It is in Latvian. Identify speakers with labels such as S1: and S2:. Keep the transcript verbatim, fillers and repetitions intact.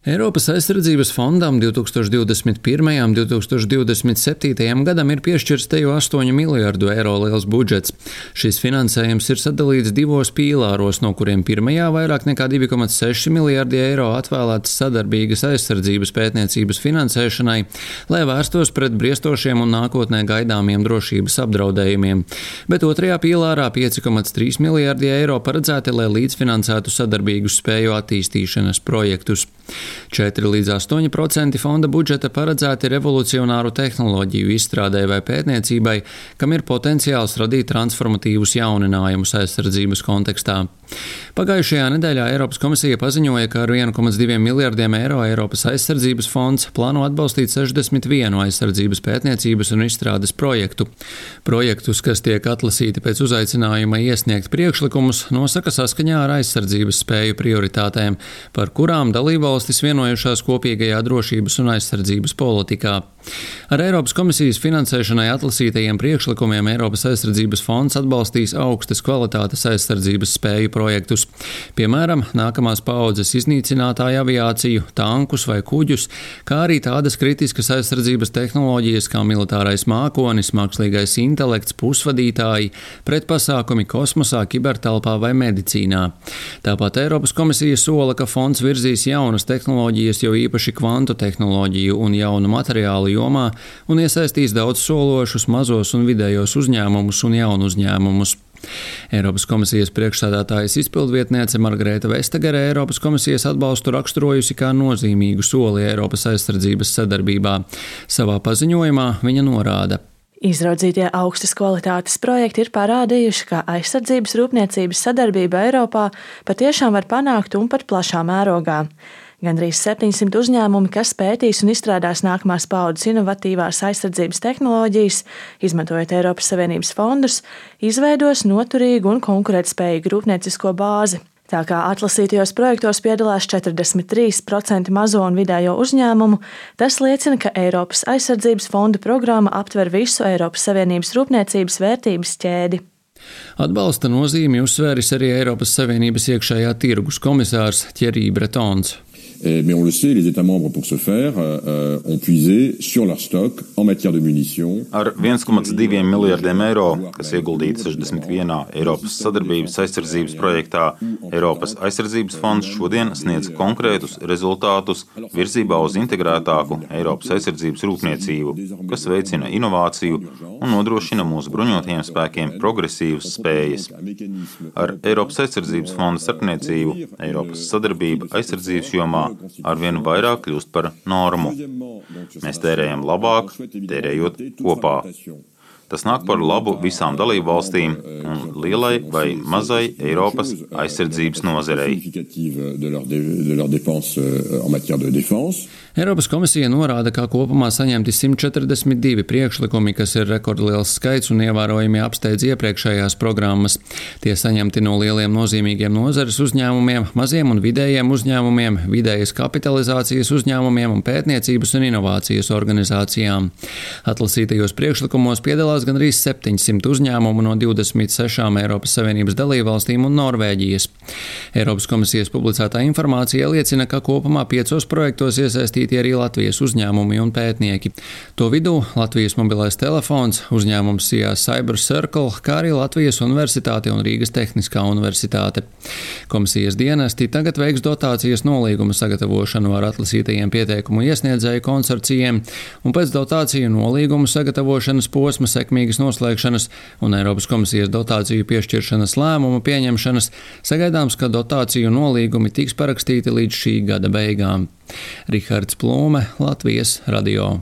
S1: Eiropas aizsardzības fondam divtūkstoš divdesmit pirmajam un divtūkstoš divdesmit septītajam gadam ir piešķirts teju astoņu miljardu eiro liels budžets. Šis finansējums ir sadalīts divos pīlāros, no kuriem pirmajā vairāk nekā divi komats seši miljardi eiro atvēlēts sadarbīgas aizsardzības pētniecības finansēšanai, lai vērstos pret briestošiem un nākotnē gaidāmiem drošības apdraudējumiem. Bet otrajā pīlārā pieci komats trīs miljardi eiro paredzēti, lai līdzfinansētu sadarbīgus spēju attīstīšanas projektus. četri līdz astoņi procenti fonda budžeta paredzēti revolucionāru tehnoloģiju izstrādē vai pētniecībai, kam ir potenciāls radīt transformatīvus jauninājumus aizsardzības kontekstā. Pagājušajā nedēļā Eiropas komisija paziņoja, ka ar vienu komats diviem miljardiem eiro Eiropas aizsardzības fonds plāno atbalstīt sešdesmit vienu aizsardzības pētniecības un izstrādes projektu. Projektus, kas tiek atlasīti pēc uzaicinājuma iesniegt priekšlikumus, nosaka saskaņā ar aizsardzības spēju prioritātēm, par kurām dalībvalstis vienojušās kopīgajā drošības un aizsardzības politikā. Ar Eiropas komisijas finansēšanai atlasītajiem priekšlikumiem Eiropas aizsardzības fonds atbalstīs augstas kvalitātes aizsardzības spēju projektus, piemēram, nākamās paaudzes iznīcinātāju aviāciju, tankus vai kuģus, kā arī tādas kritiskas aizsardzības tehnoloģijas kā militārais mākonis, mākslīgais intelekts, pusvadītāji, pretpasākumi kosmosā, kibertelpā vai medicīnā. Tāpat Eiropas komisija sola, ka fonds virzīs jaunas tehnoloģijas, jo īpaši kvantu tehnoloģiju un jaunu materiālu jomā, un iesaistīs daudz sološus mazos un vidējos uzņēmumus un jaunu uzņēmumus. Eiropas komisijas priekšsēdētājas izpildvietniece Margareta Vestagere Eiropas komisijas atbalstu raksturojusi kā nozīmīgu soli Eiropas aizsardzības sadarbībā. Savā paziņojumā viņa norāda:
S2: Izraudzītie augstas kvalitātes projekti ir parādījuši, ka aizsardzības rūpniecības sadarbība Eiropā patiešām var panākt un pat plašā mērogā. Gandrīz septiņsimt uzņēmumi, kas pētīs un izstrādās nākamās paaudzes inovatīvās aizsardzības tehnoloģijas, izmantojot Eiropas Savienības fondus, izveidos noturīgu un konkurētspējīgu rūpniecisko bāzi. Tā kā atlasītajos projektos piedalās četrdesmit trīs procenti mazo un vidējo uzņēmumu, tas liecina, ka Eiropas aizsardzības fonda programma aptver visu Eiropas Savienības rūpniecības vērtības ķēdi.
S1: Atbalsta nozīmi uzsvēris arī Eiropas Savienības iekšējā tirgus komisārs Thierry Bretons.
S3: Mais on le sait, les États membres pour ce faire euh, ont puisé sur leur stock en matière de munitions.
S4: Ar viens komats divi miljardiem eiro, kas ieguldīti sešdesmit vienā Eiropas sadarbības aizsardzības projektā, Eiropas aizsardzības fonds šodien sniedz konkrētus rezultātus virzībā uz integrētāku Eiropas aizsardzības rūpniecību, kas veicina inovāciju un nodrošina mūsu bruņotajiem spēkiem progresīvas spējas. Ar Eiropas aizsardzības fonda starpniecību Eiropas sadarbība aizsardzības jomā arvien vairāk kļūst par normu. Mēs tērējam labāk, tērējot kopā. Tas nāk par labu visām dalībvalstīm un lielai vai mazai Eiropas aizsardzības nozarei.
S1: Eiropas komisija norāda, ka kopumā saņemti simt četrdesmit divi priekšlikumi, kas ir rekordliels skaits un ievērojami apsteidz iepriekšējās programmas. Tie saņemti no lieliem nozīmīgiem nozares uzņēmumiem, maziem un vidējiem uzņēmumiem, vidējas kapitalizācijas uzņēmumiem un pētniecības un inovācijas organizācijām. Atlasītajos priekšlikumos piedalās gandrīz septiņsimt uzņēmumu no divdesmit sešām Eiropas Savienības dalībvalstīm un Norvēģijas. Eiropas komisijas publicētā informācija liecina, ka kopumā piecos projektos iesaistīti arī Latvijas uzņēmumi un pētnieki. To vidū Latvijas mobilais telefons, uzņēmums C I A Cyber Circle, kā arī Latvijas universitāte un Rīgas Tehniskā universitāte. Komisijas dienesti tagad veiks dotācijas nolīguma sagatavošanu ar atlasītajiem pieteikumu iesniedzēju konsorcijiem, un pēc dotāciju nolīgumu sagatavošanas posma sekmīgas noslēgšanas un Eiropas komisijas dotāciju piešķiršanas lēmumu pieņemšanas sagaidāms, ka dotāciju nolīgumi tiks parakstīti līdz šī gada beigām. Rihards Plūme, Latvijas radio.